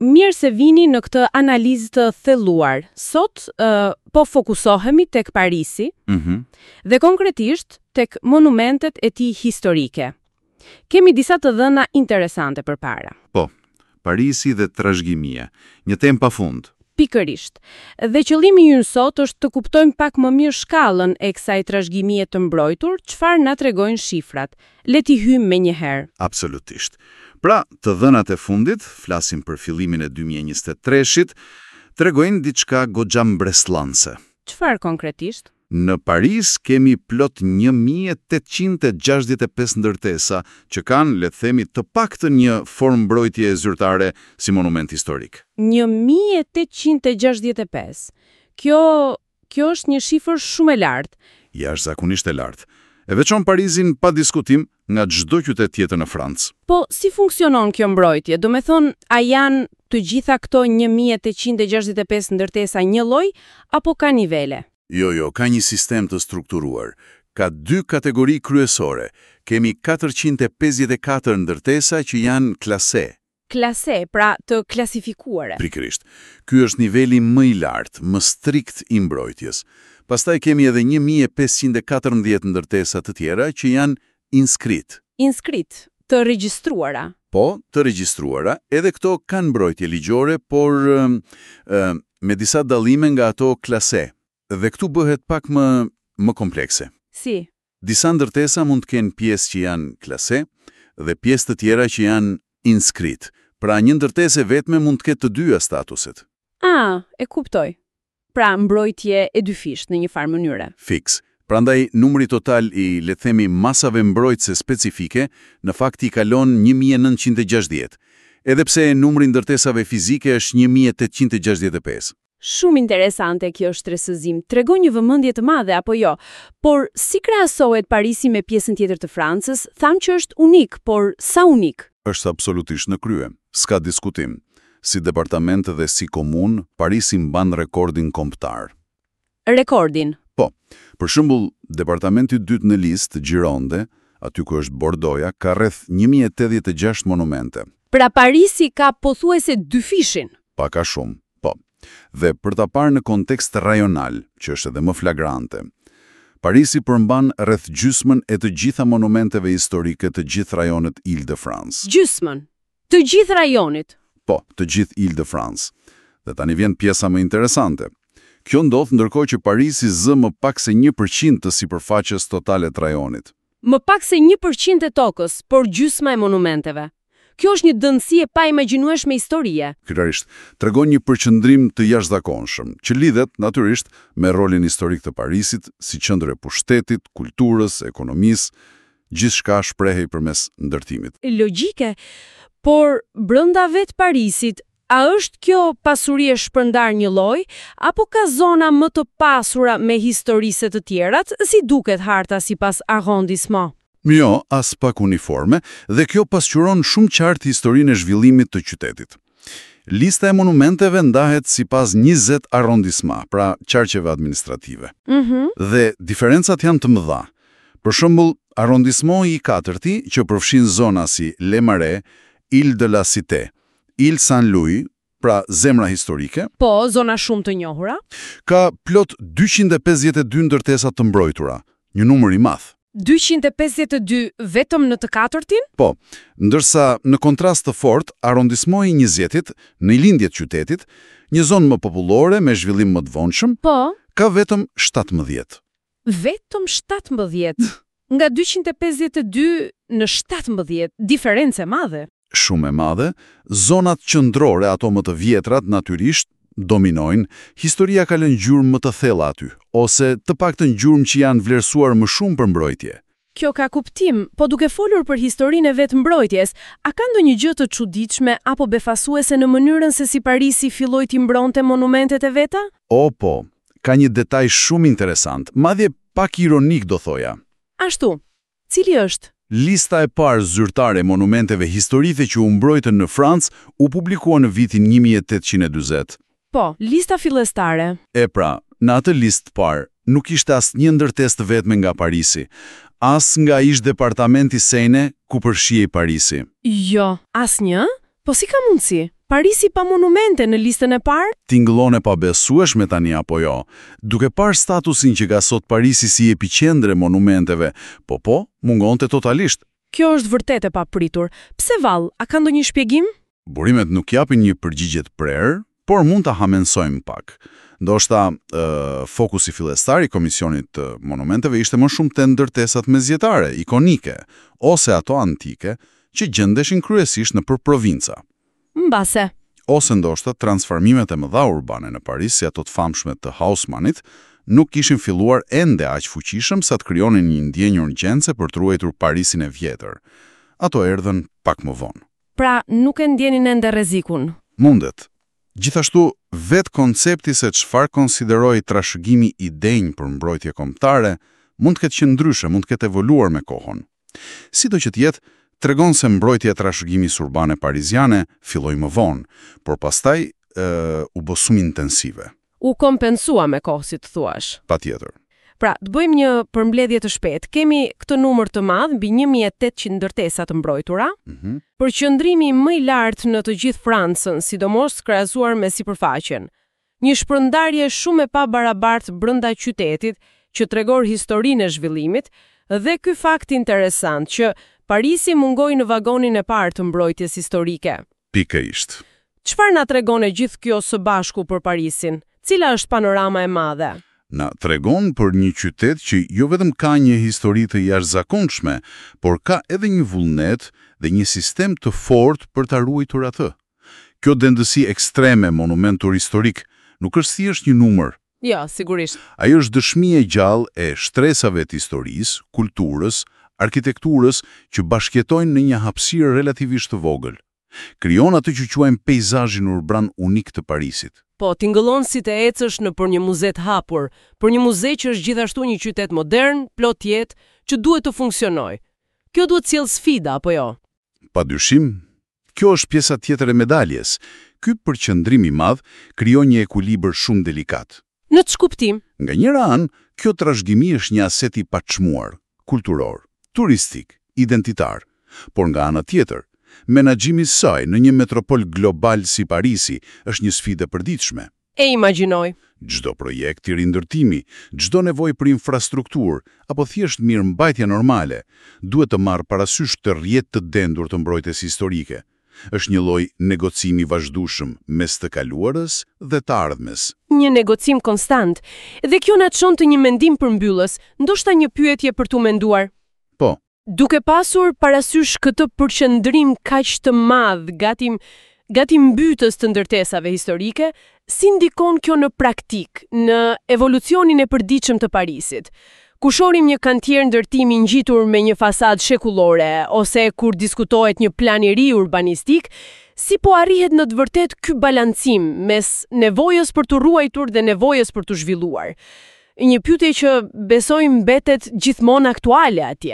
Mirë se vini në këtë analizë të thelluar. Sot uh, po fokusohemi tek Parisi mm -hmm. dhe konkretisht tek monumentet e tij historike. Kemi disa të dhëna interesante përpara. Po, Parisi dhe trashëgimia, një temë pa fund. Pikërisht. Dhe qëllimi ynë sot është të kuptojmë pak më mirë shkallën e kësaj trashëgimie të mbrojtur, çfarë na tregojnë shifrat. Le t'i hyjmë menjëherë. Absolutisht. Pra, të dhënat e fundit, flasim për fillimin e 2023-shit, tregojnë diçka goxha mbresëlënëse. Çfarë konkretisht? Në Paris kemi plot 1865 ndërtesa që kanë, le të themi, të paktën një formë mbrojtje zyrtare si monument historik. 1865. Kjo kjo është një shifër shumë e lartë. Jashtëzakonisht e lartë. E veçon Parisin pa diskutim nga çdo qytet tjetër në Francë. Po, si funksionon kjo mbrojtje? Do me thonë, a janë të gjitha këto 1865 ndërtesa një lloj, apo ka nivele? Jo, jo, ka një sistem të strukturuar. Ka dy kategori kryesore. Kemi 454 ndërtesa që janë classé. Classé, pra të klasifikuare. Pikërisht. Ky është niveli më i lartë, më strikt i mbrojtjes. Pastaj kemi edhe 1514 ndërtesa të tjera që janë inscrit. Inscrit, të regjistruara. Po, të regjistruara, edhe këto kanë mbrojtje ligjore, por ë, me disa dallime nga ato classé. Dhe këtu bëhet pak më më komplekse. Si? Disa ndërtesa mund të kenë pjesë që janë classé dhe pjesë të tjera që janë inscrit. Pra një ndërtesë e vetme mund të ketë të dyja statuset. Ah, e kuptoj. Pra mbrojtje e dyfisht në një farë mënyre. Fiks. Prandaj numri total i, le të themi, masave mbrojtëse specifike në fakt i kalon 1960, edhe pse numri ndërtesave fizike është 1865. Shumë interesante kjo shtresëzim. Tregon një vëmendje të madhe apo jo? Por si krahasohet Parisi me pjesën tjetër të Francës? Thamë që është unik, por sa unik? Është absolutisht në krye, s'ka diskutim. Si departament dhe si komunë, Parisi mban rekordin kombëtar. Rekordin. Po, për shembull, departamenti i dytë në listë, Gironde, aty ku është Bordoja, ka rreth 1086 monumente. Pra Parisi ka pothuajse dyfishin. Pak a shumë, po. Dhe për ta parë në kontekst rajonal, që është edhe më flagrante, Parisi përmban rreth gjysmën e të gjitha monumenteve historike të gjithë rajonit Ile-de-France. Gjysmën. Të gjithë rajonit. Po, të gjithë Ile-de-France. Dhe tani vjen pjesa më interesante. Kjo ndodh ndërkohë që Parisi zë më pak se 1% të sipërfaqes totale të rajonit. Më pak se 1% e tokës, por gjysma e monumenteve. Kjo është një dëndësi e paimagjinueshme historie. Pikërisht, tregon një përqendrim të jashtëzakonshëm, që lidhet natyrisht me rolin historik të Parisit si qendër e pushtetit, kulturës, ekonomisë, gjithçka shprehej përmes ndërtimit. Logjike, por brenda vetë Parisit, a është kjo pasuri e shpërndar një lloj, apo ka zona më të pasura me histori se të tjerat, si duket harta sipas arrondissement? Jo, as pak uniforme, dhe kjo pasqyron shumë qartë historinë e zhvillimit të qytetit. Lista e monumenteve ndahet sipas 20 arrondissement, pra qarqeve administrative. Dhe diferencat janë të mëdha. Për shembull, arrondissement i katërti, që përfshin zona si Le Marais, Ile de la Cité, Ile Saint-Louis, pra zemra historike, Po, zona shumë të njohura. ka plot 252 ndërtesa të mbrojtura, një numër i madh. 252 vetëm në të katërtin? Po, ndërsa në kontrast të fort, arrondissement i 20-it, në lindje të qytetit, një zonë më popullore me zhvillim më të vonshëm, Po, ka vetëm 17. vetëm 17. Nga 252 në 17, diferencë e madhe. Shumë e madhe, zonat qendrore, ato më të vjetrat, natyrisht, dominojnë, historia ka lënë gjurmë më të thella aty, ose të paktën gjurmë që janë vlerësuar më shumë për mbrojtje. Kjo ka kuptim, po duke folur për historinë e vetë mbrojtjes, a ka ndonjë gjë të çuditshme apo befasuese në mënyrën se si Parisi filloi t'i mbronte monumentet e veta? O po, ka një detaj shumë interesant, madje pak ironik do thoja. Ashtu, cili është? Lista e parë zyrtare e monumenteve historike që u mbrojtën në Francë u publikua në vitin 1840. Po, lista fillestare. E pra, në atë listë parë nuk ishte asnjë ndërtesë të vetme nga Parisi, as nga ish departamenti Seine ku përfshihej Parisi. Jo, asnjë? Po si ka mundësi? Parisi pa monumente në listën e parë? Tingëllon e pabesueshme tani apo jo? Duke parë statusin që ka sot Parisi si epiqendër e monumenteve, po po, mungonte totalisht. Kjo është vërtet e papritur. Pse vallë, a ka ndonjë shpjegim? Burimet nuk japin një përgjigje të prerë, por mund ta hamensojmë pak. Ndoshta ë, fokusi fillestar i Komisionit të Monumenteve ishte më shumë te ndërtesat mesjetare, ikonike, ose ato antike, që gjendeshin kryesisht nëpër provinca. Mbase. Ose ndoshta transformimet e mëdha urbane në Paris, si ato të famshme të Haussmannit, nuk kishin filluar ende aq fuqishëm sa të krijonin një ndjenjë urgjence për të ruajtur Parisin e vjetër. Ato erdhën pak më vonë. Pra, nuk e ndjenin ende rrezikun. Mundet. Gjithashtu, vetë koncepti se çfarë konsideroi trashëgimi i denjë për mbrojtje kombëtare, mund të ketë qenë ndryshe, mund të ketë evoluar me kohën. Sido që të jetë, tregon se mbrojtja e trashëgimisë urbane pariziane filloi më vonë, por pastaj e, u bë shumë intensive. U kompensua me kohë, si të thuash. Patjetër. Pra, të bëjmë një përmbledhje të shpejtë. Kemi këtë numër të madh, mbi 1800 ndërtesa të mbrojtura, Mm përqendrimi më i lartë në të gjithë Francën, sidomos krahasuar me sipërfaqen. Një shpërndarje shumë e pabarabartë brenda qytetit që tregon historinë e zhvillimit dhe ky fakt interesant që Parisi mungoi në vagonin e parë të mbrojtjes historike. Pikërisht. Çfarë na tregon e gjithë kjo së bashku për Parisin? Cila është panorama e madhe? Na tregon për një qytet që jo vetëm ka një histori të jashtëzakonshme, por ka edhe një vullnet dhe një sistem të fortë për ta ruajtur atë. Kjo dendësi ekstreme monumentur historik nuk është thjesht një numër. Jo, sigurisht. Ajo është dëshmi e gjallë e shtresave të historisë, kulturës, arkitekturës që bashkjetojnë në një hapësirë relativisht të vogël. Krijon atë që quajmë peizazhin urban unik të Parisit. Po, tingëllon si të ecësh në për një muze të hapur, për një muze që është gjithashtu një qytet modern, plot jetë, që duhet të funksionojë. Kjo duhet sjell sfida, apo jo? Pa dyshim, kjo është pjesa tjetër e medaljes. Ky përqendrim i madh krijon një ekuilibër shumë delikat. Në ç'kuptim? Nga njëra anë, kjo trashëgimi është një aset i paçmuar, kulturor, turistik, identitar. Por nga ana tjetër, menaxhimi i saj në një metropol global si Parisi është një sfidë e përditshme. E imagjinoj. Çdo projekt i rindërtimi, çdo nevojë për infrastrukturë apo thjesht mirëmbajtje normale, duhet të marrë parasysh të rrjet të dendur të mbrojtjes historike. Është një lloj negocimi vazhdueshëm mes të kaluarës dhe të ardhmes. Një negocim konstant. Dhe kjo na çon të një mendim përmbyllës, ndoshta një pyetje për t'u menduar. Po, Duke pasur parasysh këtë përqendrim kaq të madh, gati gati mbytës të ndërtesave historike, si ndikon kjo në praktik, në evolucionin e përditshëm të Parisit? Ku shohim një kantier ndërtimi ngjitur me një fasadë shekullore ose kur diskutohet një plan i ri urbanistik, si po arrihet në të vërtet ky balancim mes nevojës për të ruajtur dhe nevojës për të zhvilluar? Një pyetje që besoj mbetet gjithmonë aktuale atje.